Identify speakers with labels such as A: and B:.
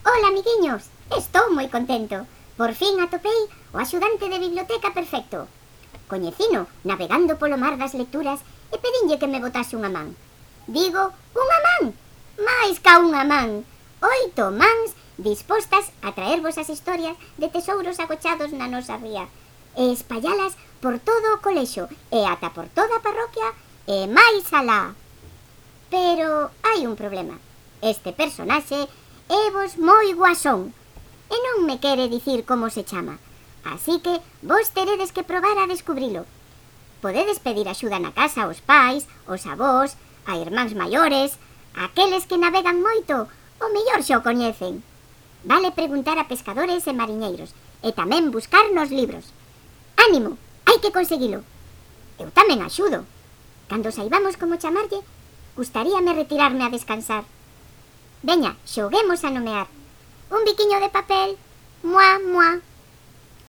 A: Ola, amiguiños, estou moi contento. Por fin atopei o axudante de biblioteca perfecto. Coñecino navegando polo mar das lecturas e pedinlle que me botase unha man. Digo, unha man, máis ca unha man. 8 mans dispostas a traervos as historias de tesouros agochados na nosa ría e espallalas por todo o colexo e ata por toda a parroquia e máis alá. Pero hai un problema. Este personaxe é vos moi guasón e non me quere dicir como se chama. Así que vos teredes que probar a descubrilo. Podedes pedir axuda na casa aos pais, aos avós, a irmáns maiores, aqueles que navegan moito, o mellor xa o coñecen. Vale preguntar a pescadores e mariñeiros e tamén buscar nos libros. Ánimo, hai que conseguilo. Eu tamén axudo. Cando saibamos como chamarlle, gustaríame retirarme a descansar. Veña, xoguemos a nomear. Un biquiño de papel, muá, muá.